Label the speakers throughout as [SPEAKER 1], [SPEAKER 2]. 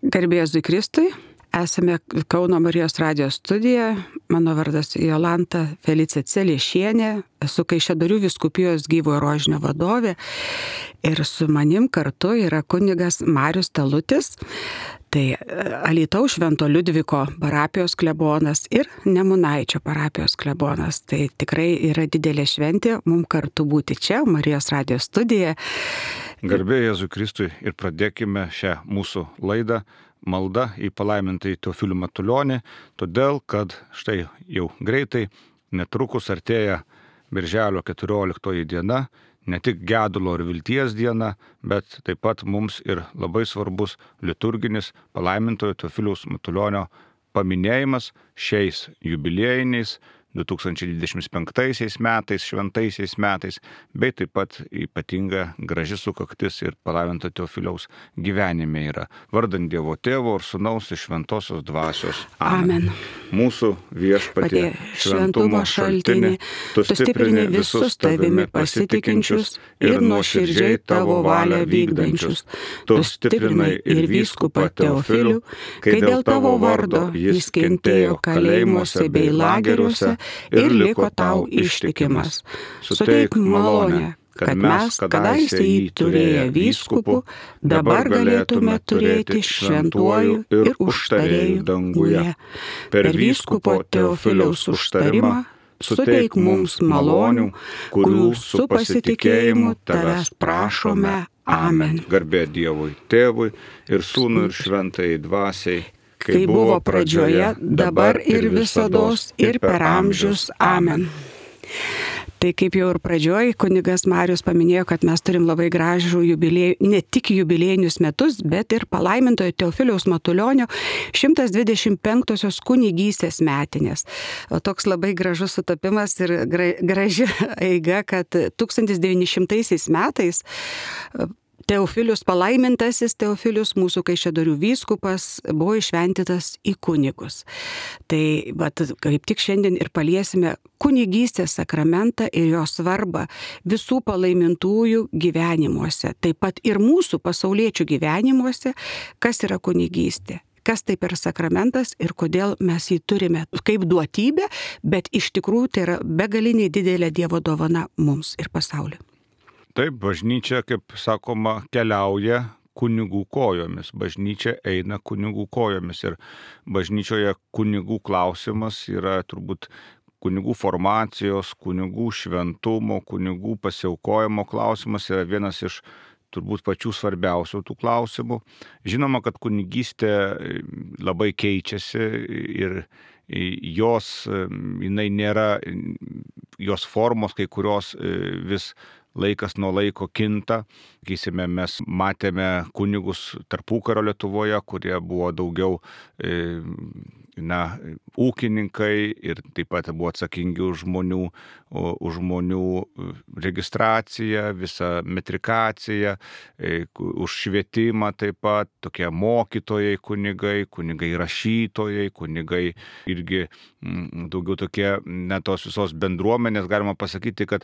[SPEAKER 1] Garbė Jėzui Kristui, esame Kauno Marijos radijos studijoje, mano vardas Jolanta Felicija Celiešienė, esu Kaišiadorių vyskupijos Gyvojo Rožinio vadovė ir su manim kartu yra kunigas Marius Talutis, tai Alytaus Švento Liudviko parapijos klebonas ir Nemunaičio parapijos klebonas. Tai tikrai yra didelė šventė mums kartu būti čia, Marijos radijos studijoje.
[SPEAKER 2] Garbė Jėzui Kristui ir pradėkime šią mūsų laidą malda į palaimintąjį Teofilių Matulionį, todėl kad štai jau greitai netrukus artėja Birželio 14 diena, ne tik gedulo ir vilties diena, bet taip pat mums ir labai svarbus liturginis palaimintojo Teofiliaus Matulionio paminėjimas šiais jubiliejiniais 2025 metais, šventaisiais metais, bei taip pat ypatinga graži sukaktis ir palaiminto Teofiliaus gyvenime yra. Vardant Dievo Tėvo ir Sūnaus ir Šventosios Dvasios.
[SPEAKER 1] Amen.
[SPEAKER 2] Mūsų Viešpatie, šventumo šaltinį, tu stiprini visus tavimi pasitikinčius ir nuoširdžiai tavo valią vykdančius. Tu stiprinai ir vyskupą Teofilių, kai dėl tavo vardo jis kentėjo kalėjimuose bei lageriuose ir liko tau ištikimas. Suteik malonę, kad mes, kadaise jį turėję vyskupų, dabar galėtume turėti šventuoju ir užtarėju danguje. Per vyskupo Teofiliaus užtarimą suteik mums malonių, kurių su pasitikėjimu tavęs prašome. Amen. Garbė Dievui Tėvui ir Sūnui ir Šventajai Dvasiai,
[SPEAKER 1] kaip buvo pradžioje, dabar ir visados, ir per amžius. Amen. Tai kaip jau ir pradžioj, kunigas Marius paminėjo, kad mes turim labai gražų jubiliejų, ne tik jubiliejinius metus, bet ir palaimintojo Teofiliaus Matulionio 125-osios kunigystės metinės. O toks labai gražus sutapimas ir graži eiga, kad 1900 metais Teofilius, palaimintasis Teofilius, mūsų Kaišiadorių vyskupas, buvo iššventytas į kunigus. Tai kaip tik šiandien ir paliesime kunigystės sakramentą ir jo svarbą visų palaimintųjų gyvenimuose, taip pat ir mūsų pasauliečių gyvenimuose, kas yra kunigystė. Kas tai per sakramentas ir kodėl mes jį turime kaip duotybę, bet iš tikrųjų tai yra begaliniai didelė Dievo dovana mums ir pasauliui.
[SPEAKER 2] Taip, bažnyčia, kaip sakoma, keliauja kunigų kojomis. Bažnyčia eina kunigų kojomis ir bažnyčioje kunigų klausimas yra turbūt kunigų formacijos, kunigų šventumo, kunigų pasiaukojimo klausimas yra vienas iš turbūt pačių svarbiausių tų klausimų. Žinoma, kad kunigystė labai keičiasi ir jinai nėra, jos formos kai kurios vis laikas nuo laiko kinta. Sakysime, mes matėme kunigus tarpukario Lietuvoje, kurie buvo daugiau ūkininkai ir taip pat buvo atsakingi už žmonių registraciją, visą metrikaciją, už švietimą taip pat, tokie mokytojai kunigai rašytojai, kunigai irgi daugiau tokie, tos visos bendruomenės, galima pasakyti, kad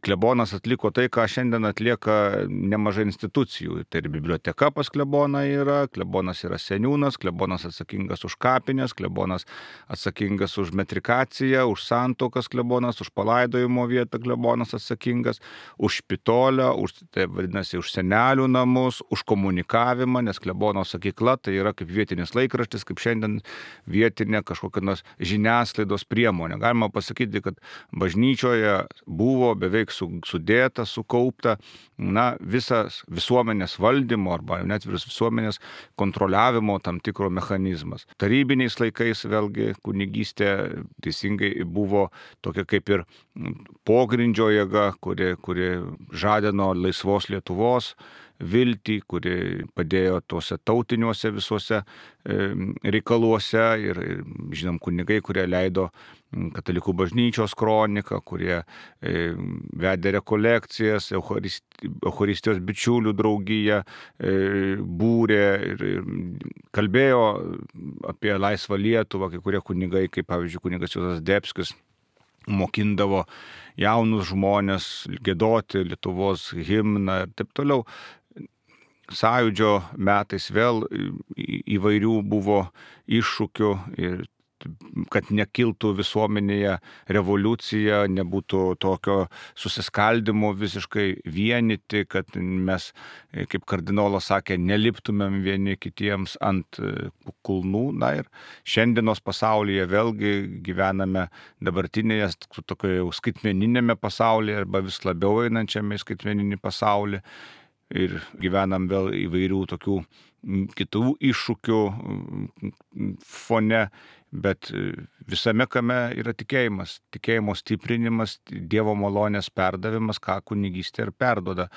[SPEAKER 2] klebonas atliko tai, ką šiandien atlieka nemažai institucijų. Tai ir biblioteka pas kleboną yra, klebonas yra seniūnas, klebonas atsakingas už kapines, klebonas atsakingas už metrikaciją, už santuokas klebonas, už palaidojimo vietą klebonas atsakingas, už špitolę, tai vadinasi, už senelių namus, už komunikavimą, nes klebono sakykla tai yra kaip vietinis laikraštis, kaip šiandien vietinė kažkokia nors žiniasklaidos priemonė. Galima pasakyti, kad bažnyčioje buvo beveik sudėta, sukaupta visas visuomenės valdymo arba net visuomenės kontroliavimo tam tikro mechanizmas. Tarybiniais laikais vėlgi kunigystė teisingai buvo tokia kaip ir pogrindžio jėga, kuri žadino laisvos Lietuvos viltį, kuri padėjo tuose tautiniuose visuose reikaluose ir žinom kunigai, kurie leido Katalikų bažnyčios kroniką, kurie vedė rekolekcijas, Eucharistijos bičiulių draugiją, būrė ir kalbėjo apie laisvą Lietuvą, kai kurie kunigai, kaip pavyzdžiui kunigas Juozas Debskis, mokindavo jaunus žmonės giedoti Lietuvos himną ir taip toliau. sąjūdžio metais vėl įvairių buvo iššūkių ir kad nekiltų visuomenėje revoliucija, nebūtų tokio susiskaldimo visiškai vienyti, kad mes, kaip kardinolas sakė, neliptumėm vieni kitiems ant kulnų. Na ir šiandienos pasaulyje vėlgi gyvename dabartinėje tokioje jau skaitmeninėme pasaulyje arba vis labiau einančiame į skaitmeninį pasaulį ir gyvenam vėl įvairių tokių kitų iššūkių fone. Bet visame kame yra tikėjimas, tikėjimo stiprinimas, Dievo malonės perdavimas, ką kunigystė ir perduoda.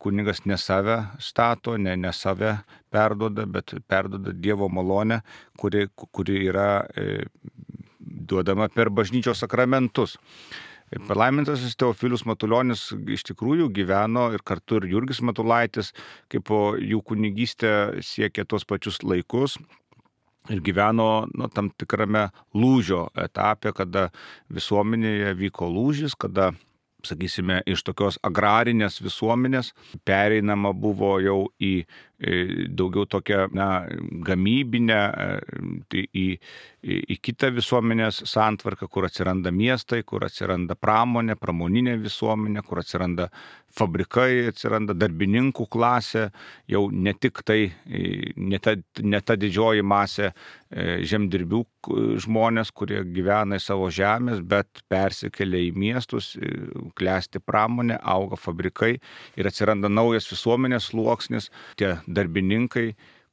[SPEAKER 2] Kunigas ne save stato, ne save perduoda, bet perduoda Dievo malonę, kuri yra duodama per bažnyčios sakramentus. Palaimintasis Teofilius Matulionis iš tikrųjų gyveno ir kartu ir Jurgis Matulaitis, kaip po jų kunigystė siekė tuos pačius laikus. Ir gyveno tam tikrame lūžio etape, kada visuomenėje vyko lūžis, kada, sakysime, iš tokios agrarinės visuomenės pereinama buvo jau į daugiau tokią gamybinę, į kitą visuomenės santvarką, kur atsiranda miestai, kur atsiranda pramoninė visuomenė, kur atsiranda fabrikai, atsiranda darbininkų klasė, jau ne tik tai, ne ta didžioji masė žemdirbių žmonės, kurie gyvena į savo žemės, bet persikelia į miestus, klesti pramonė, auga fabrikai ir atsiranda naujas visuomenės sluoksnis, tie darbininkai,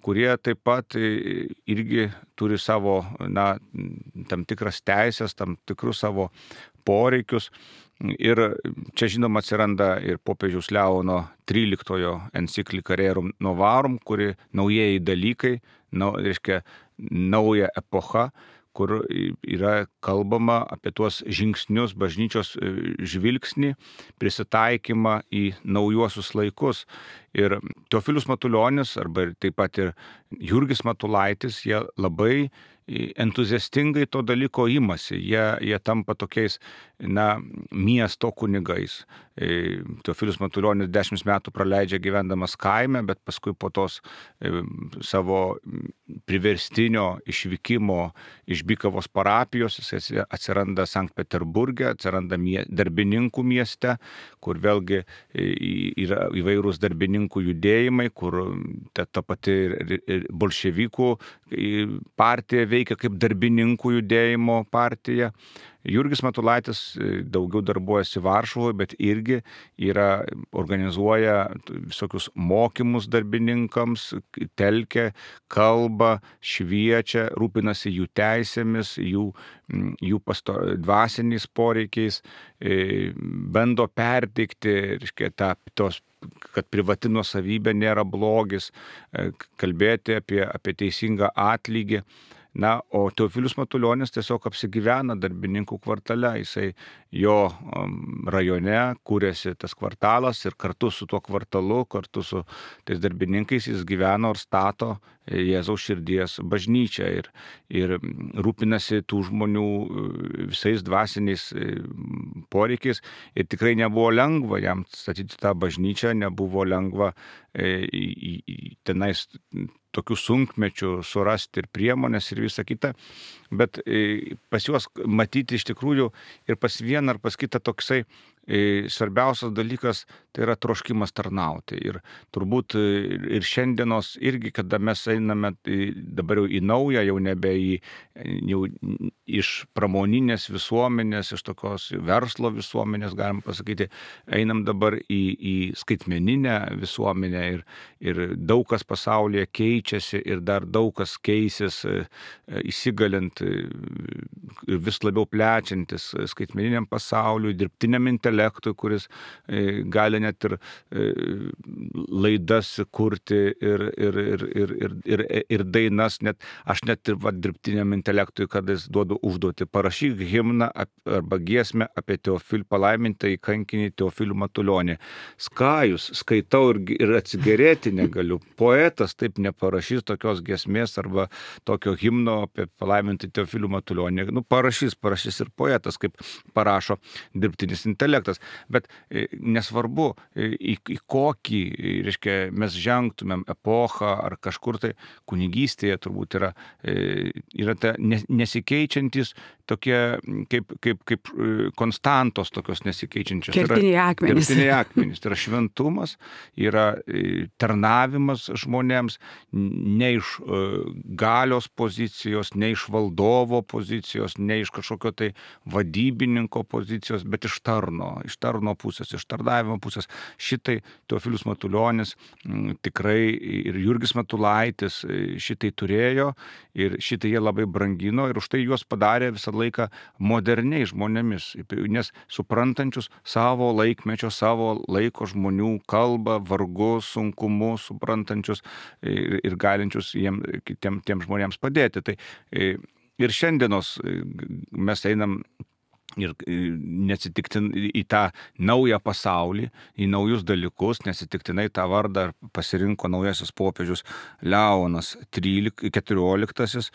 [SPEAKER 2] kurie taip pat irgi turi savo tam tikras teisės, tam tikrus savo poreikius. Ir čia žinoma atsiranda ir popiežiaus Leono XIII enciklika Rerum Novarum, kuri naujieji dalykai, reiškia nauja epocha, kur yra kalbama apie tuos žingsnius, bažnyčios žvilgsnį, prisitaikymą į naujuosius laikus. Ir Teofilius Matulionis, arba taip pat ir Jurgis Matulaitis, jie labai entuziastingai to dalyko imasi. Jie tampa tokiais, miesto kunigais. Teofilius Matulionis 10 metų praleidžia gyvendamas kaime, bet paskui po tos savo priverstinio išvykimo iš Bykavos parapijos jis atsiranda Sankt Peterburge, atsiranda darbininkų mieste, kur vėlgi yra įvairūs darbininkų judėjimai, kur ta pati bolševikų partija veikia kaip darbininkų judėjimo partija. Jurgis Matulaitis daugiau darbuojasi Varšuvoje, bet irgi organizuoja visokius mokymus darbininkams, telkia, kalba, šviečia, rūpinasi jų teisėmis, jų dvasiniais poreikiais, bando perteikti, kad privati nuosavybė nėra blogis, kalbėti apie teisingą atlygį. O Teofilius Matulionis tiesiog apsigyvena darbininkų kvartale, jo rajone kūrėsi tas kvartalas ir kartu su tuo kvartalu, kartu su tais darbininkais jis gyveno ir stato Jėzaus širdies bažnyčią ir rūpinasi tų žmonių visais dvasiniais poreikiais. Ir tikrai nebuvo lengva jam statyti tą bažnyčią, nebuvo lengva tenais tokių sunkmečių surasti ir priemonės ir visa kita, bet pas juos matyti iš tikrųjų ir pas vieną ar pas kitą toksai svarbiausias dalykas tai yra troškimas tarnauti. Ir turbūt ir šiandienos irgi, kada mes einame dabar jau į naują, jau nebe jau iš pramoninės visuomenės, iš tokios verslo visuomenės, galim pasakyti, einam dabar į skaitmeninę visuomenę ir daug kas pasaulyje keičiasi ir dar daug kas keisis įsigalint ir vis labiau plečiantis skaitmeniniam pasauliui, dirbtiniam intelektui, kuris gali net ir laidas kurti ir dainas. Aš net ir dirbtiniam intelektui, kada jis duodu užduoti, parašyk himną arba giesmę apie palaimintąjį kankinį Teofilių Matulionį. Skajus, skaitau ir atsigerėti negaliu. Poetas taip neparašys tokios giesmės arba tokio himno apie palaimintąjį Teofilių Matulionį. Parašys ir poetas, kaip parašo dirbtinis intelektas. aspektas, bet nesvarbu, į kokį, reiškia, mes žengtumėm epochą ar kažkur tai kunigystėje turbūt yra ta nesikeičiantis tokie kaip konstantos tokios nesikeičiančios.
[SPEAKER 1] Kertiniai akmenys.
[SPEAKER 2] Kertiniai akmenys. Tai yra šventumas, yra tarnavimas žmonėms ne iš galios pozicijos, ne iš valdovo pozicijos, ne iš kažkokio tai vadybininko pozicijos, bet iš tarno pusės, iš tarnavimo pusės. Šitai Teofilius Matulionis tikrai ir Jurgis Matulaitis šitai turėjo ir šitai jie labai brangino ir už tai juos padarė visą laiką moderniai žmonėmis, nes suprantančius savo laikmečio, savo laiko žmonių kalbą, vargus, sunkumus, suprantančius ir galinčius tiem žmonėms padėti. Tai ir šiandienos mes einam ir neatsitiktinai į tą naują pasaulį, į naujus dalykus, neatsitiktinai tą vardą pasirinko naujasis popiežius Leonas XIV,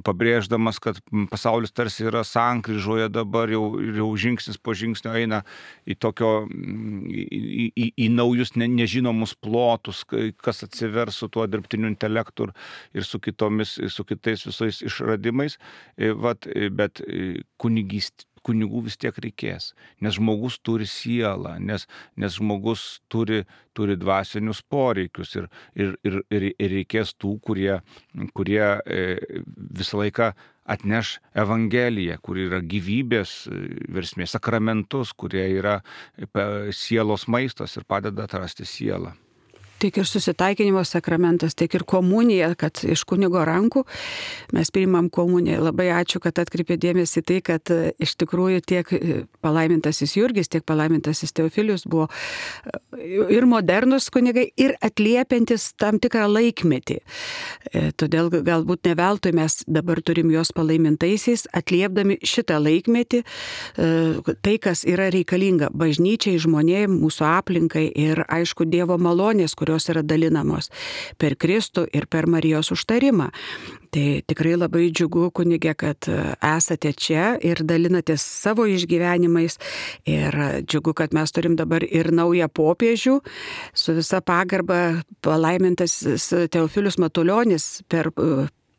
[SPEAKER 2] pabrėždamas, kad pasaulis tarsi yra sankryžoje dabar, jau žingsnis po žingsnio eina į tokio, į naujus nežinomus plotus, kas atsivers su tuo dirbtiniu intelektu ir su kitais visais išradimais, bet kunigų vis tiek reikės, nes žmogus turi sielą, nes žmogus turi dvasinius poreikius ir reikės tų, kurie visą laiką atneš Evangeliją, kur yra gyvybės versmė, sakramentus, kurie yra sielos maistas ir padeda atrasti sielą.
[SPEAKER 1] Tiek ir susitaikinimo sakramentas, tiek ir komunija, kad iš kunigo rankų mes priimam komuniją. Labai ačiū, kad atkreipė dėmesį tai, kad iš tikrųjų tiek palaimintasis Jurgis, tiek palaimintasis Teofilius buvo ir modernus kunigai, ir atliepiantis tam tikrą laikmetį. Todėl galbūt ne veltui mes dabar turim juos palaimintaisiais, atliepdami šitą laikmetį, tai, kas yra reikalinga bažnyčiai, žmonėms, mūsų aplinkai ir aišku Dievo malonės, kurios yra dalinamos per Kristų ir per Marijos užtarimą. Tai tikrai labai džiugu, kunige, kad esate čia ir dalinatės savo išgyvenimais ir džiugu, kad mes turim dabar ir naują popiežių, su visa pagarba palaimintas Teofilius Matulionis per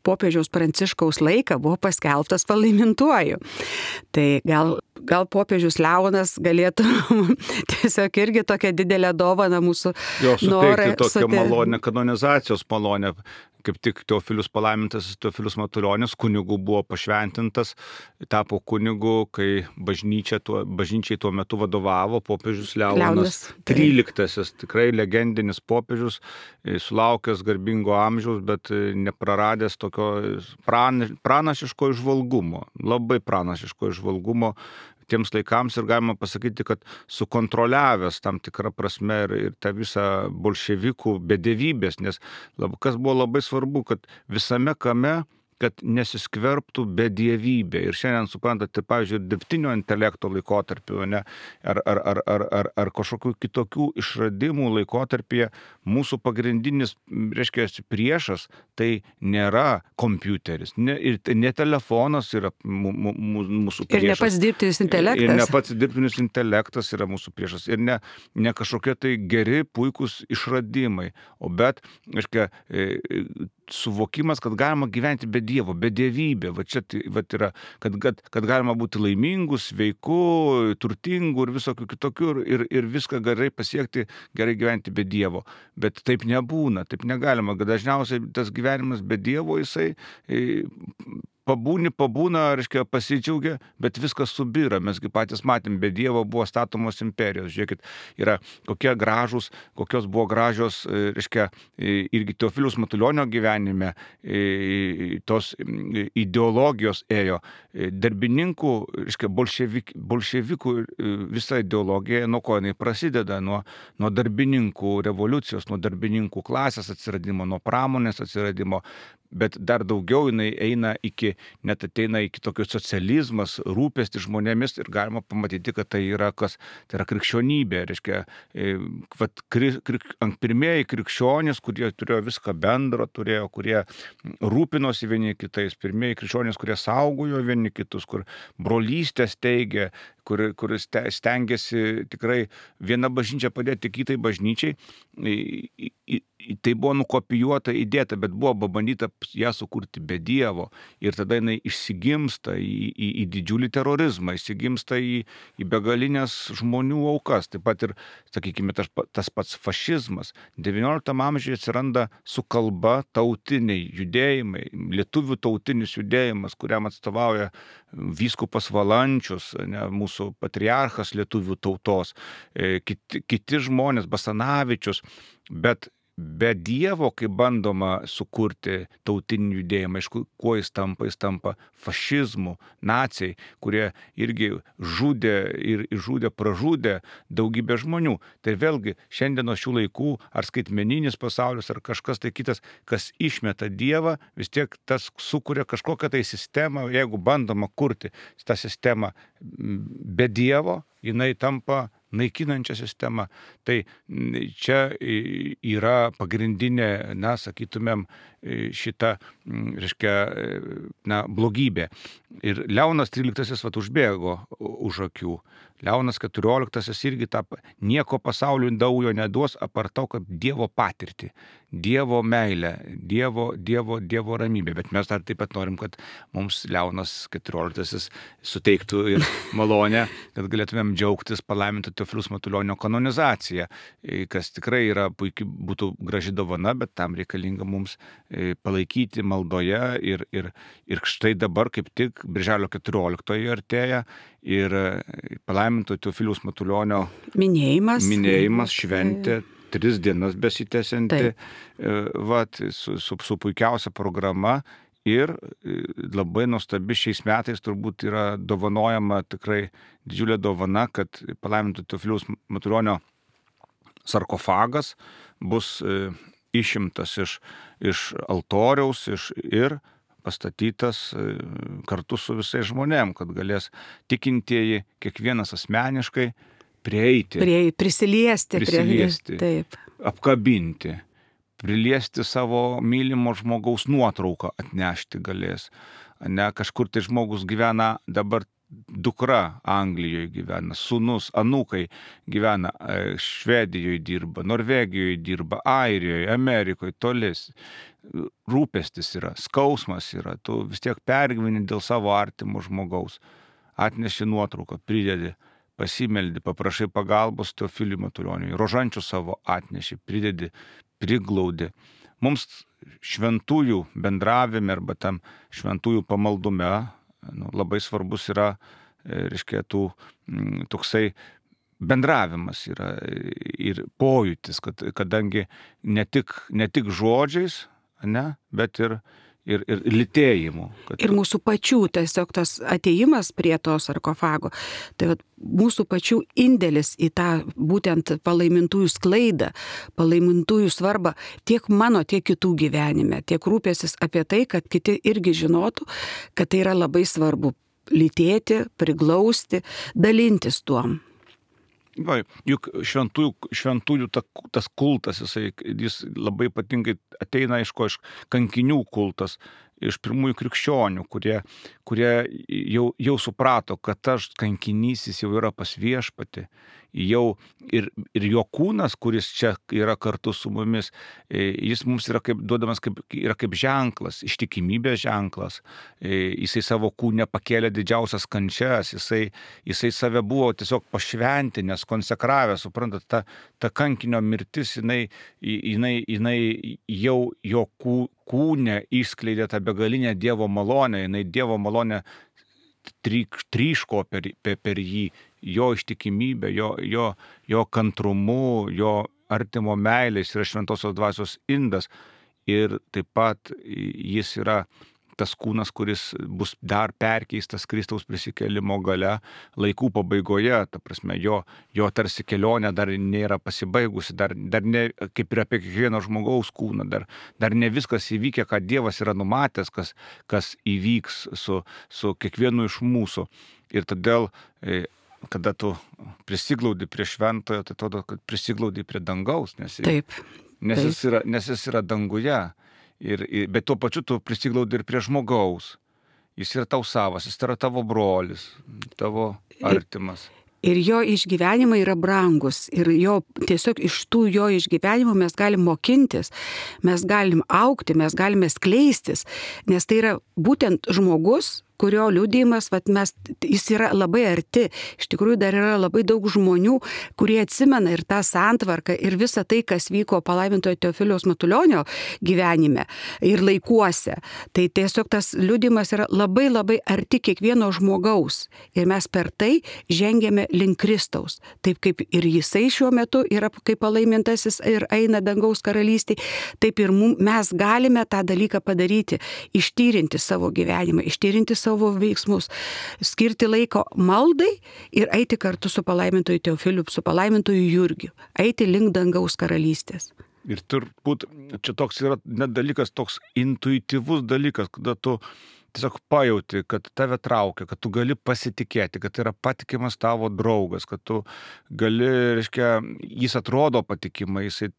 [SPEAKER 1] popiežiaus Pranciškaus laiką buvo paskelbtas palaimintuoju. Tai gal popiežius Leonas galėtų tiesiog irgi tokią didelę dovaną mūsų norą
[SPEAKER 2] suteikti tokią malonę, kanonizacijos malonę. Kaip tik Teofilius palaimintas Teofilius Matulionis kunigų buvo pašventintas, tapo kunigu, kai bažnyčiai tuo metu vadovavo popiežius Leonas XIII, tikrai legendinis popiežius, sulaukęs garbingo amžiaus, bet nepraradęs tokio pranašiško įžvalgumo, labai pranašiško įžvalgumo tiems laikams ir galima pasakyti, kad sukontroliavęs tam tikrą prasme ir tą visą bolševikų bedevybės, nes kas buvo labai svarbu, kad visame kame, kad nesiskverbtų bedievybė. Ir šiandien suprantate, pavyzdžiui, dirbtinio intelekto laikotarpiu, ne, ar kažkokių kitokių išradimų laikotarpyje mūsų pagrindinis, reiškia, priešas tai nėra kompiuteris, ne telefonas yra mūsų priešas.
[SPEAKER 1] Ir ne pats dirbtinis intelektas.
[SPEAKER 2] Ir ne pats dirbtinis intelektas yra mūsų priešas. Ir ne kažkokie tai geri, puikūs išradimai, bet, reiškia, suvokimas, kad galima gyventi be Dievo, be dievybė. Čia yra, kad galima būti laimingų, sveikų, turtingų ir visokių kitokių ir viską gerai pasiekti, gerai gyventi be Dievo. Bet taip nebūna, taip negalima. Dažniausiai tas gyvenimas be Dievo jisai pabūna, reiškia, pasidžiaugia, bet viskas subyra. Mesgi patys matėm, be Dievo buvo statomos imperijos. Žiūrėkit, kokios buvo gražios, reiškia, irgi Teofiliaus Matulionio gyvenime tos ideologijos ėjo. Darbininkų, reiškia, bolševikų visa ideologija, nuo ko jinai prasideda, nuo darbininkų revoliucijos, nuo darbininkų klasės atsiradimo, nuo pramonės atsiradimo. Bet dar daugiau jinai ateina iki tokio socializmas, rūpestis žmonėmis ir galima pamatyti, kad tai yra kas, tai yra krikščionybė. Reiškia, pirmieji krikščionys, kurie turėjo viską bendro, kurie rūpinosi vieni kitais, pirmieji krikščionys, kurie saugojo vieni kitus, kur brolystės teigė, kuris stengiasi tikrai viena bažnyčia padėti kitai bažnyčiai. Tai buvo nukopijuota, įdėta, bet buvo pabandyta ją sukurti be Dievo. Ir tada jinai išsigimsta į didžiulį terorizmą, išsigimsta į begalinės žmonių aukas. Taip pat ir, sakykime, tas pats fašizmas. XIX amžiuje atsiranda su kalba tautiniai judėjimai, lietuvių tautinis judėjimas, kuriam atstovauja vyskupas Valančius, mūsų patriarchas lietuvių tautos, kiti žmonės, Basanavičius, bet be Dievo, kai bandoma sukurti tautinį judėjimą, aišku, kuo jis tampa fašizmu, naciai, kurie irgi pražudė daugybę žmonių. Tai vėlgi šiandienos šių laikų, ar skaitmeninis pasaulis, ar kažkas tai kitas, kas išmeta Dievą, vis tiek tas sukuria kažkokią tai sistemą, jeigu bandoma kurti tą sistemą be Dievo, jinai tampa naikinančią sistemą. Tai čia yra pagrindinė, sakytumėm, šita, reiškia, blogybė. Ir Leonas XIII užbėgo už akių. Leonas XIV irgi nieko pasauliui naujo neduos, apart to, kad Dievo patirtį, Dievo meilę, Dievo ramybę. Bet mes dar taip pat norim, kad mums Leonas XIV suteiktų ir malonę, kad galėtumėm džiaugtis palaiminto Teofiliaus Matulionio kanonizacija, kas tikrai yra puikiai, būtų graži dovana, bet tam reikalinga mums palaikyti maldoje ir štai dabar kaip tik Birželio 14 artėja ir palaiminto Teofiliaus Matulionio minėjimas, šventė, 3 dienas besitęsianti, su puikiausia programa. Ir labai nuostabi šiais metais turbūt yra dovanojama tikrai didžiulė dovana, kad palaiminto Teofiliaus Matulionio sarkofagas bus išimtas iš altoriaus ir pastatytas kartu su visais žmonėm, kad galės tikintieji kiekvienas asmeniškai prisiliesti,
[SPEAKER 1] taip,
[SPEAKER 2] apkabinti, priliesti savo mylimo žmogaus nuotrauką atnešti galės. Kažkur tai žmogus gyvena dabar, dukra Anglijoje gyvena, sūnus, anūkai gyvena, Švedijoje dirba, Norvegijoje dirba, Airijoje, Amerikoje, tolis. Rūpestis yra, skausmas yra, tu vis tiek pergyveni dėl savo artimo žmogaus. Atneši nuotrauką, pridedi, pasimeldi, paprašai pagalbos Teofiliui Matulioniui, rožančių savo atneši, pridedi, priglaudi. Mums šventųjų bendravime arba tam šventųjų pamaldume labai svarbus yra, reiškia, toksai bendravimas yra ir pojūtis, kadangi ne tik žodžiais, bet ir lytėjimu.
[SPEAKER 1] Ir mūsų pačių tiesiog tas atėjimas prie to sarkofago, tai mūsų pačių indėlis į tą būtent palaimintųjų sklaidą, palaimintųjų svarbą tiek mano, tiek kitų gyvenime, tiek rūpėsis apie tai, kad kiti irgi žinotų, kad tai yra labai svarbu lytėti, priglausti, dalintis tuom.
[SPEAKER 2] Juk šventųjų tas kultas, jis labai ypatingai ateina iš kankinių kultas, iš pirmųjų krikščionių, kurie jau suprato, kad tas kankinys jis jau yra pas viešpatį, jau ir jo kūnas, kuris čia yra kartu su mumis, jis mums yra duodamas kaip ženklas, ištikimybės ženklas. Jisai savo kūne pakėlė didžiausias kančias, jisai save buvo tiesiog pašventinęs, konsekravęs, suprantat, ta kankinio mirtis, jinai jau jo kūne išskleidė tą begalinę Dievo malonę, jinai Dievo malonę tryško per jį, jo ištikimybę, jo kantrumu, jo artimo meilės yra šventosios dvasios indas ir taip pat jis yra tas kūnas, kuris bus dar perkeistas Kristaus prisikėlimo gale laikų pabaigoje, ta prasme, jo tarsi kelionė dar nėra pasibaigusi, dar ne, kaip ir apie kiekvieno žmogaus kūną, dar ne viskas įvykę, ką Dievas yra numatęs, kas įvyks su kiekvienu iš mūsų. Ir todėl, kada tu prisiglaudi prie šventojo, tai atrodo, kad prisiglaudi prie dangaus, nes jis yra danguje. Bet tuo pačiu tu prisiglaudi ir prie žmogaus. Jis yra tau savas, jis yra tavo brolis, tavo artimas.
[SPEAKER 1] Ir jo išgyvenimai yra brangus. Ir jo tiesiog iš tų jo išgyvenimų mes galim mokintis, mes galim augti, mes galime skleistis. Nes tai yra būtent žmogus, kurio liudijimas, jis yra labai arti. Iš tikrųjų dar yra labai daug žmonių, kurie atsimena ir tą santvarką, ir visą tai, kas vyko palaimintojo Teofiliaus Matulionio gyvenime ir laikuose. Tai tiesiog tas liudijimas yra labai labai arti kiekvieno žmogaus. Ir mes per tai žengėme link Kristaus. Taip kaip ir jisai šiuo metu yra kaip palaimintasis ir eina dangaus karalystėje, taip ir mes galime tą dalyką padaryti, ištyrinti savo gyvenimą, ištyrinti savo veiksmus, skirti laiko maldai ir eiti kartu su palaimintoju Teofiliu, su palaimintoju Jurgiu, eiti link dangaus karalystės.
[SPEAKER 2] Ir turbūt čia toks yra net dalykas, toks intuityvus dalykas, kada tu tiesiog pajauti, kad tave traukia, kad tu gali pasitikėti, kad tai yra patikimas tavo draugas, kad tu gali, reiškia, jis atrodo patikimai, jisai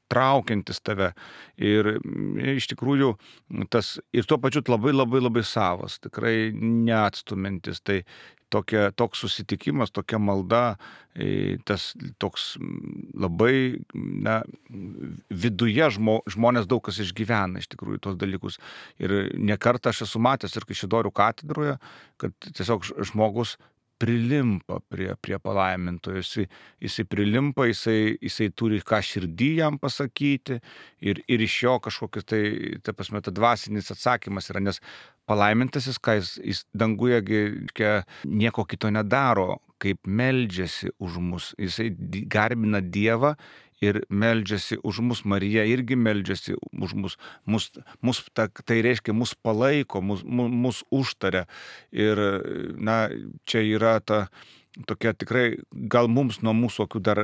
[SPEAKER 2] traukiantis tave ir iš tikrųjų tas ir tuo pačiu labai labai labai savas, tikrai neatstumintis. Tai toks susitikimas, tokia malda, tas toks labai, viduje žmonės daug kas išgyvena iš tikrųjų tos dalykus. Ir ne kartą aš esu matęs ir Kaišiadorių katedroje, kad tiesiog žmogus prilimpa prie palaimintojo, jisai prilimpa, jisai turi ką širdį jam pasakyti ir iš jo kažkokius ta prasme, ta dvasinis atsakymas yra, nes palaimintasis, ką jis danguje nieko kito nedaro, kaip meldžiasi už mus, jisai garbina Dievą ir meldžiasi už mus, Marija irgi meldžiasi už mus tai reiškia, mus palaiko, mus užtaria. Ir, čia yra ta tokia tikrai, gal mums nuo mūsų akių dar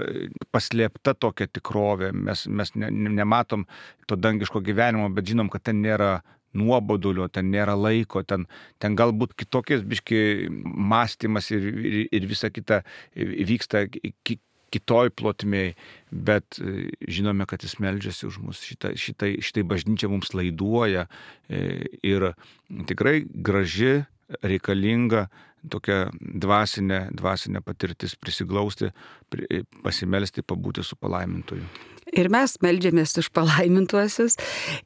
[SPEAKER 2] paslėpta tokia tikrovė. Mes nematom to dangiško gyvenimo, bet žinom, kad ten nėra nuobodulio, ten nėra laiko, ten galbūt kitokies biški mąstymas ir visa kita vyksta kitoj plotmėj, bet žinome, kad jis meldžiasi už mus. Šitai bažnyčia mums laiduoja ir tikrai graži, reikalinga tokia dvasinė patirtis prisiglausti, pasimelsti, pabūti su palaimintoju.
[SPEAKER 1] Ir mes meldžiamės už palaimintuosius.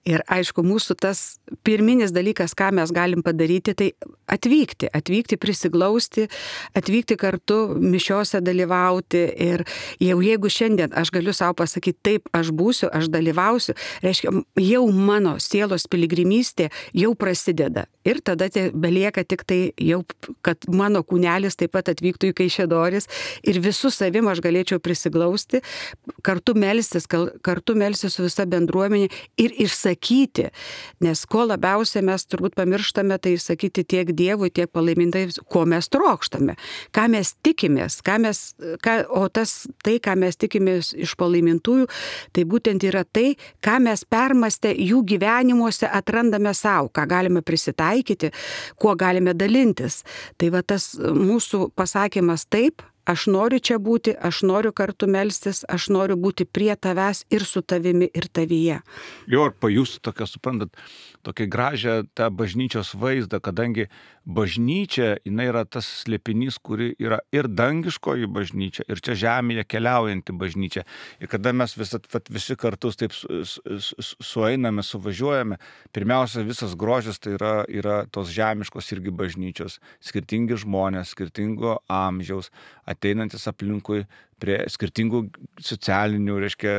[SPEAKER 1] Ir aišku, mūsų tas pirminis dalykas, ką mes galim padaryti, tai atvykti, prisiglausti, atvykti kartu mišiose dalyvauti. Ir jeigu šiandien aš galiu savo pasakyti, taip, aš būsiu, aš dalyvausiu, reiškia, jau mano sielos piligrimystė jau prasideda. Ir tada belieka tik tai jau, kad mano kūnelis taip pat atvyktų į Kaišiadoris ir visų savim aš galėčiau prisiglausti, kartu melstis su visa bendruomenė ir išsakyti, nes ko labiausiai mes turbūt pamirštame, tai išsakyti tiek Dievui, tiek palaimintai, ko mes trokštame, ką mes tikimės, ką mes tikimės iš palaimintųjų, tai būtent yra tai, ką mes permastę jų gyvenimuose atrandame savo, ką galime prisitaikyti, kuo galime dalintis. Tai va tas mūsų pasakymas taip, aš noriu čia būti, aš noriu kartu melstis, aš noriu būti prie tavęs ir su tavimi ir tavyje.
[SPEAKER 2] Jo, ar pajusti tokią, suprantat, tokią gražią tą bažnyčios vaizdą, kadangi bažnyčia, jinai yra tas slėpinys, kuri yra ir dangiškoji bažnyčia, ir čia žemėje keliaujanti bažnyčia. Ir kada mes visi kartus taip sueiname, suvažiuojame, pirmiausia, visas grožis tai yra tos žemiškos irgi bažnyčios, skirtingi žmonės, skirtingo amžiaus, ateinantis aplinkui prie skirtingų socialinių, reiškia,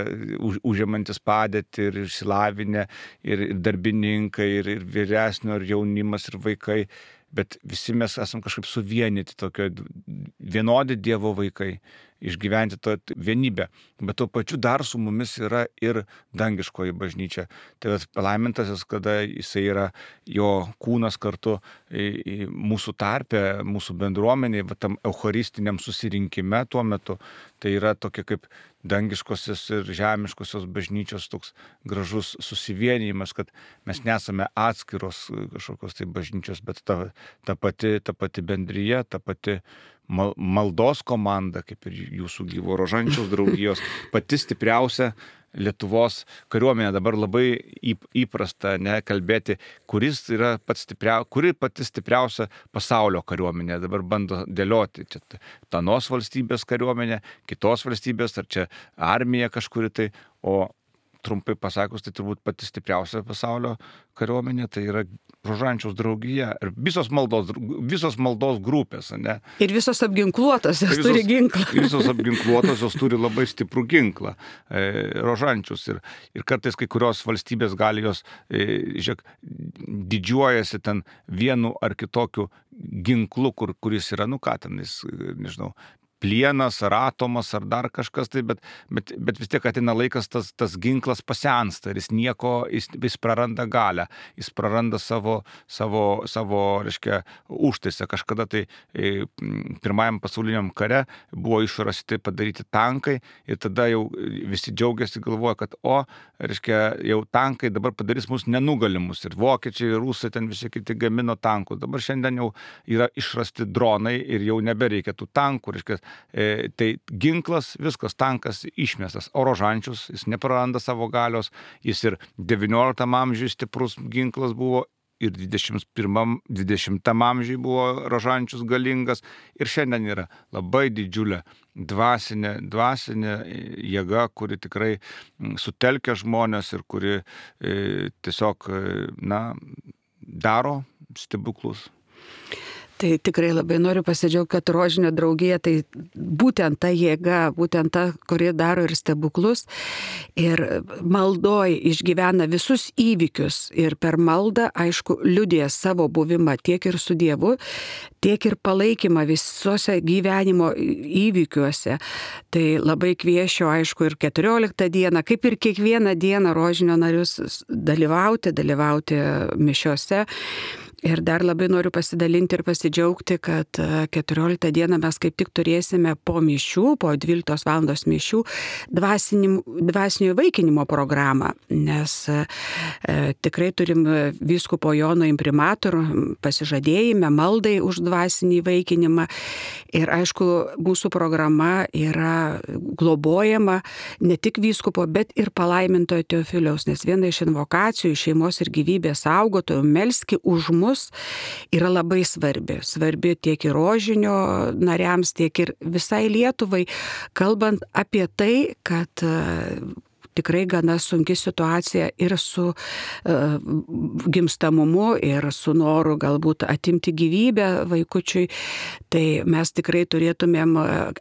[SPEAKER 2] užimantis padėtį ir išsilavinę, ir darbininkai, ir vyresnio, ir jaunimas, ir vaikai, bet visi mes esam kažkaip suvienyti, tokio vienodi Dievo vaikai, išgyventi tą vienybę, bet tuo pačiu dar su mumis yra ir dangiškoji bažnyčia. Tai palaimintasis, kada jisai yra jo kūnas kartu mūsų tarpe, mūsų bendruomenėje, tam eucharistiniam susirinkime tuo metu, tai yra tokia kaip dangiškosios ir žemiškosios bažnyčios toks gražus susivienijimas, kad mes nesame atskiros kažkokios tai bažnyčios, bet ta pati bendryje, ta pati maldos komanda, kaip ir jūsų Gyvo Rožančiaus draugijos, pati stipriausia Lietuvos kariuomenė. Dabar labai įprasta kalbėti, kuri pati stipriausia pasaulio kariuomenė. Dabar bando dėlioti, čia tanos valstybės kariuomenė, kitos valstybės, ar čia armija kažkuri tai, o trumpai pasakus, tai turbūt pati stipriausia pasaulio kariuomenė, tai yra Rožančiaus draugija. Ir visos maldos grupės, ne?
[SPEAKER 1] Ir visos apginkluotos, jos turi ginklą.
[SPEAKER 2] Visos apginkluotos, jos turi labai stiprų ginklą. Rožančius. Ir kartais kai kurios valstybės gali jos, žiūrėk, didžiuojasi ten vienu ar kitokiu ginklu, kuris yra, nežinau, plienas, ar atomas, ar dar kažkas, tai, bet vis tiek ateina laikas, tas ginklas pasensta ir jis praranda galią, jis praranda savo reiškia, užtaisą. Kažkada tai pirmajam pasauliniam kare buvo išrasti padaryti tankai ir tada jau visi džiaugiasi, galvoja, kad reiškia, jau tankai dabar padarys mus nenugalimus ir vokiečiai, ir rusai ten visi kiti gamino tankus. Dabar šiandien jau yra išrasti dronai ir jau nebereikia tų tankų, reiškia, tai ginklas, viskas, tankas išmestas. O Rožančius, jis nepraranda savo galios, jis ir 19 amžiuje stiprus ginklas buvo, ir 20 amžiuje buvo Rožančius galingas, ir šiandien yra labai didžiulė dvasinė jėga, kuri tikrai sutelkia žmonės ir kuri tiesiog, daro stebuklus.
[SPEAKER 1] Tai tikrai labai noriu pasidžiaugti, kad Rožinio draugija tai būtent ta jėga, būtent ta, kuri daro ir stebuklus. Ir maldoj išgyvena visus įvykius ir per maldą, aišku, liudija savo buvimą tiek ir su Dievu, tiek ir palaikymą visose gyvenimo įvykiuose. Tai labai kviečiu, aišku, ir 14 dieną, kaip ir kiekvieną dieną Rožinio narius dalyvauti mišiose. Ir dar labai noriu pasidalinti ir pasidžiaugti, kad 14 dieną mes kaip tik turėsime po mišių, po 12 valandos mišių, dvasinio įvaikinimo programą, nes tikrai turim vyskupo Jono imprimatorių pasižadėjime maldai už dvasinį įvaikinimą. Ir aišku, mūsų programa yra globojama ne tik vyskupo, bet ir palaimintojo Teofiliaus, nes viena iš invokacijų šeimos ir gyvybės saugotojų melski už mus yra labai svarbi tiek ir Rožinio nariams, tiek ir visai Lietuvai, kalbant apie tai, kad tikrai gana sunki situacija ir su gimstamumu, ir su noru galbūt atimti gyvybę vaikučiui. Tai mes tikrai turėtumėm,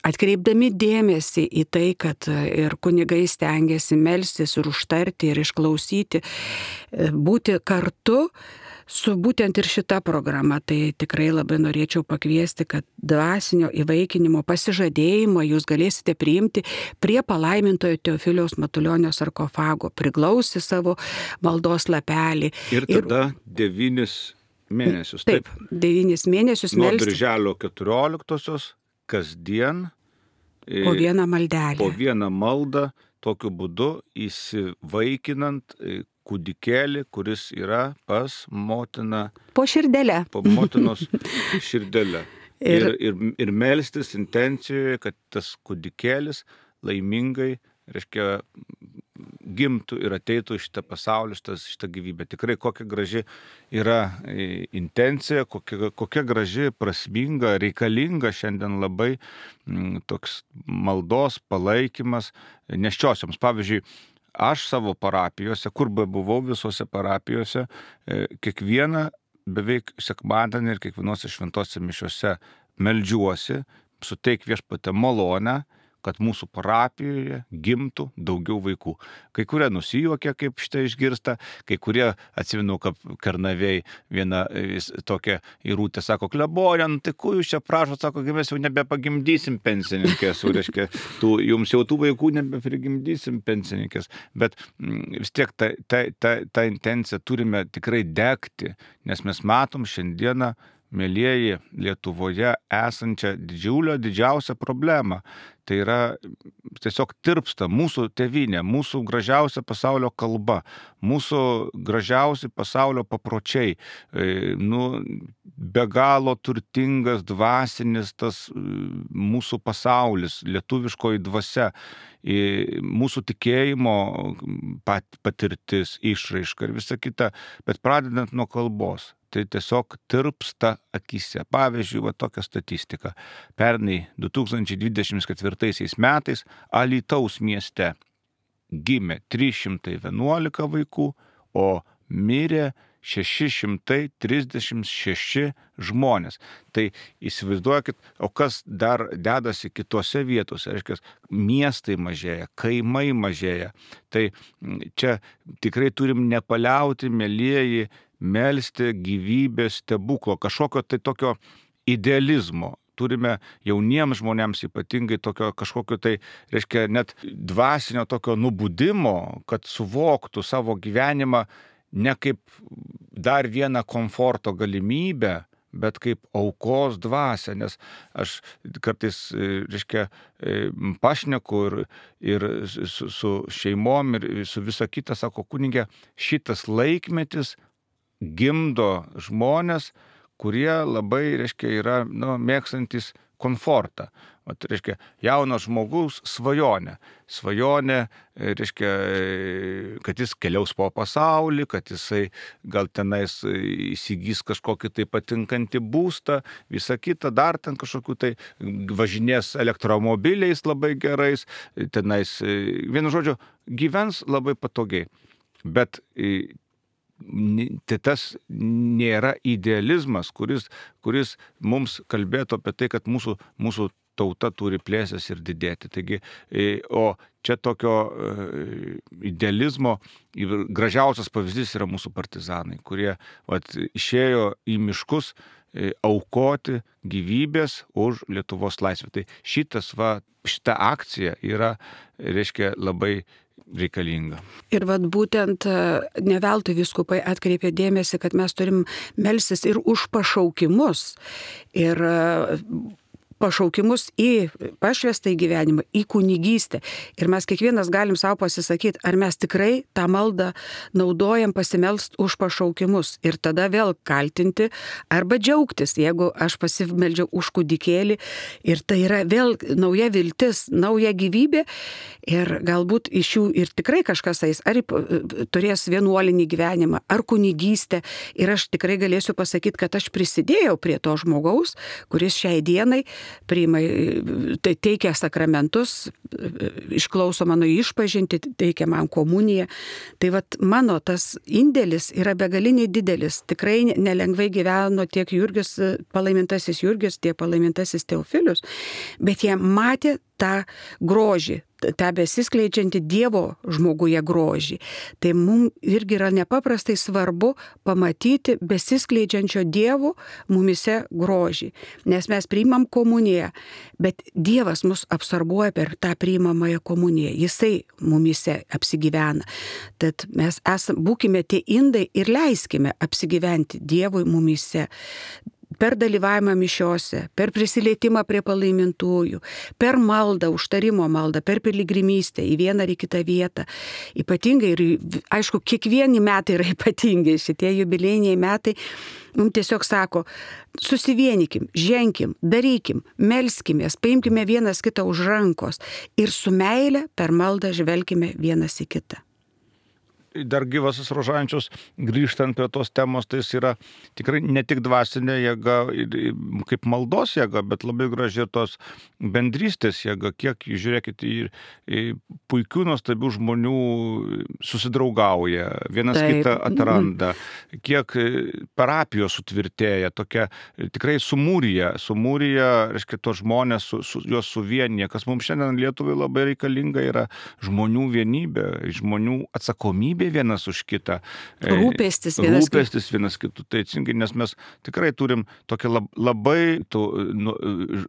[SPEAKER 1] atkreipdami dėmesį į tai, kad ir kunigai stengiasi melstis ir užtarti ir išklausyti, būti kartu su būtent ir šita programa. Tai tikrai labai norėčiau pakviesti, kad dvasinio įvaikinimo pasižadėjimo jūs galėsite priimti prie palaimintojo Teofiliaus Matulionio sarkofago, priglausti savo maldos lapelį.
[SPEAKER 2] Ir tada 9 mėnesius.
[SPEAKER 1] Taip, 9 mėnesius
[SPEAKER 2] nuo
[SPEAKER 1] melstis.
[SPEAKER 2] Birželio 14 kasdien.
[SPEAKER 1] Po vieną maldelę.
[SPEAKER 2] Po vieną maldą, tokiu būdu įsivaikinant kūdikėlį, kuris yra pas motiną.
[SPEAKER 1] Po širdelę.
[SPEAKER 2] Po motinos širdelę. Ir melstis intencijoje, kad tas kūdikėlis laimingai, reiškia, gimtų ir ateitų į šitą pasaulį, šitą gyvybę. Tikrai kokia graži yra intencija, kokia graži, prasminga, reikalinga šiandien labai toks maldos palaikymas nėščiosioms. Pavyzdžiui, aš savo parapijose, kur buvau visose parapijose, kiekvieną beveik sekmadienį ir kiekvienose šventose mišiose meldžiuosi, suteik Viešpatie malonę, kad mūsų parapijoje gimtų daugiau vaikų. Kai kurie nusijuokia, kaip šitą išgirsta, kai kurie, atsimenu, kaip Kernavėj viena tokia įrūtė, sako, klebonė, tai ko jūs čia prašot, sako, mes jau nebepagimdysim pensininkės, reiškia, jums jau tų vaikų nebeprigimdysim pensininkės, bet vis tiek ta intencija turime tikrai degti, nes mes matom šiandieną, mėlieji, Lietuvoje esančią didžiausią problemą. Tai yra tiesiog tirpsta mūsų tėvynė, mūsų gražiausia pasaulio kalba, mūsų gražiausi pasaulio papročiai. be galo turtingas dvasinis tas mūsų pasaulis, lietuviškoji dvasia, mūsų tikėjimo patirtis, išraiška ir visa kita, bet pradedant nuo kalbos. Tai tiesiog tirpsta akyse. Pavyzdžiui, va tokia statistika. Pernai 2024 metais Alytaus mieste gimė 311 vaikų, o mirė 636 žmonės. Tai įsivaizduokit, o kas dar dedasi kitose vietose, reiškia, miestai mažėja, kaimai mažėja. Tai čia tikrai turim nepaliauti, mielieji, melsti gyvybės stebuklo, kažkokio tai tokio idealizmo. Turime jauniems žmonėms ypatingai tokio kažkokio tai, reiškia, net dvasinio tokio nubudimo, kad suvoktų savo gyvenimą ne kaip dar vieną komforto galimybę, bet kaip aukos dvasią, nes aš kartais, reiškia, pašneku ir su šeimom ir su visa kita, sako kunigė, šitas laikmetis gimdo žmonės, kurie labai, reiškia, yra mėgstantis komfortą. O tai reiškia, jaunas žmogus svajonė, reiškia, kad jis keliaus po pasaulį, kad jisai gal tenais įsigys kažkokį tai patinkantį būstą, visą kitą, dar ten kažkokių tai važinės elektromobiliais labai gerais, tenais, vienu žodžiu, gyvens labai patogiai. Bet tai tas nėra idealizmas, kuris mums kalbėtų apie tai, kad mūsų tauta turi plėstis ir didėti. Taigi, o čia tokio idealizmo gražiausias pavyzdys yra mūsų partizanai, kurie išėjo į miškus aukoti gyvybės už Lietuvos laisvę. Tai šita akcija yra, reiškia, labai reikalinga.
[SPEAKER 1] Ir būtent ne veltui vyskupai atkreipė dėmesį, kad mes turim melstis ir už pašaukimus. Ir pašaukimus į pašvestą gyvenimą, į kunigystę. Ir mes kiekvienas galim savo pasisakyti, ar mes tikrai tą maldą naudojam pasimelst už pašaukimus. Ir tada vėl kaltinti arba džiaugtis, jeigu aš pasimeldžiau už kūdikėlį. Ir tai yra vėl nauja viltis, nauja gyvybė. Ir galbūt iš jų ir tikrai kažkas eis, ar turės vienuolinį gyvenimą, ar kunigystę. Ir aš tikrai galėsiu pasakyti, kad aš prisidėjau prie to žmogaus, kuris šiai dienai teikia sakramentus, išklauso mano išpažintį, teikia man komuniją. Tai mano tas indėlis yra begaliniai didelis. Tikrai nelengvai gyveno tiek Jurgis, palaimintasis Jurgis, tiek palaimintasis Teofilius, bet jie matė tą grožį, tą besiskleidžiantį Dievo žmoguje grožį. Tai mums irgi yra nepaprastai svarbu pamatyti besiskleidžiančio Dievo mumise grožį. Nes mes priimam komuniją, bet Dievas mus absorbuoja per tą priimamąją komuniją. Jisai mumise apsigyvena. Tad mes būkime tie indai ir leiskime apsigyventi Dievui mumise. Per dalyvavimą mišiose, per prisilietimą prie palaimintųjų, per maldą, užtarimo maldą, per piligrimystę į vieną ar į kitą vietą. Ypatingai ir, aišku, kiekvieni metai yra ypatingi, šitie jubiliejiniai metai mums tiesiog sako, susivienykim, ženkim, darykim, melskimės, paimkime vienas kitą už rankos ir su meile per maldą žvelkime vienas į kitą.
[SPEAKER 2] Dar gyvasis Rožančius, grįžtant prie tos temos, tai jis yra tikrai ne tik dvasinė jėga, kaip maldos jėga, bet labai graži tos bendrystės jėga. Kiek, žiūrėkit, puikių, nuostabių žmonių susidraugauja, vienas kitą atranda, kiek parapijos sutvirtėja, tokia tikrai sumūrija, reiškia, tos žmonės juos suvienyje, kas mums šiandien Lietuvai labai reikalinga yra žmonių vienybė, žmonių atsakomybė vienas už kitą.
[SPEAKER 1] Rūpestis
[SPEAKER 2] vienas kitų. Tai atsingai, nes mes tikrai turim tokią labai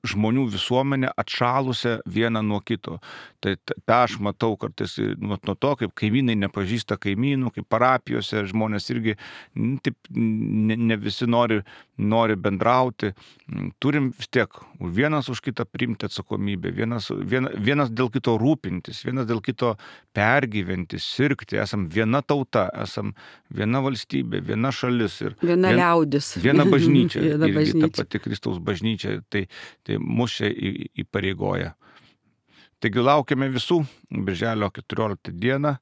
[SPEAKER 2] žmonių visuomenę atšalusią vieną nuo kito. Tai tą aš matau kartais nuo to, kaip kaimynai nepažįsta kaimynų, kaip parapijose žmonės irgi taip, ne visi nori bendrauti. Turim vis tiek vienas už kitą priimti atsakomybę, vienas dėl kito rūpintis, vienas dėl kito pergyventi, sirgti, esam viena viena tauta, esam viena valstybė, viena šalis ir
[SPEAKER 1] viena liaudis.
[SPEAKER 2] Viena bažnyčia.
[SPEAKER 1] Viena
[SPEAKER 2] irgi
[SPEAKER 1] bažnyčia.
[SPEAKER 2] Ta pati Kristaus bažnyčia, tai mus čia įpareigoja. Taigi laukiame visų birželio 14 dieną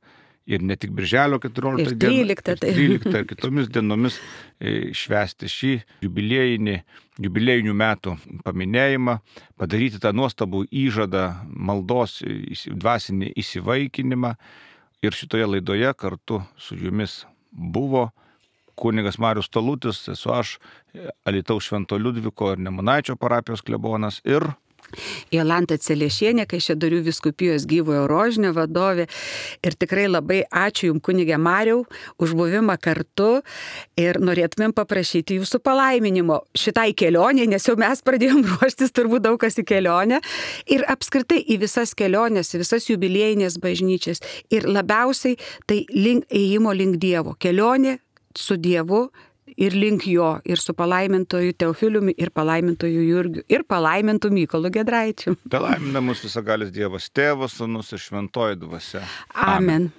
[SPEAKER 2] ir ne tik birželio 14 dieną,
[SPEAKER 1] ir
[SPEAKER 2] 13 ir kitomis dienomis švęsti šį jubiliejinių metų paminėjimą, padaryti tą nuostabų įžadą maldos dvasinį įsivaikinimą. Ir šitoje laidoje kartu su jumis buvo kunigas Marius Talutis, esu aš, Alytaus Švento Liudviko ir Nemunaičio parapijos klebonas ir
[SPEAKER 1] Jolanta Celiešienė, Kaišiadorių vyskupijos Gyvojo Rožinio vadovė. Ir tikrai labai ačiū Jums, kunige Mariau, už buvimą kartu ir norėtumėm paprašyti Jūsų palaiminimo šitai kelionė, nes jau mes pradėjom ruoštis turbūt daug kas į kelionę ir apskritai į visas keliones, į visas jubiliejinės bažnyčias ir labiausiai tai ėjimo link Dievo, kelionė su Dievu ir link jo, ir su palaimintoju Teofiliumi, ir palaimintoju Jurgiu, ir palaimintu Mykolu Giedraičiu.
[SPEAKER 2] Palaimina mus visagalis Dievas, Tėvas, Sūnus ir Šventoji Dvasia.
[SPEAKER 1] Amen.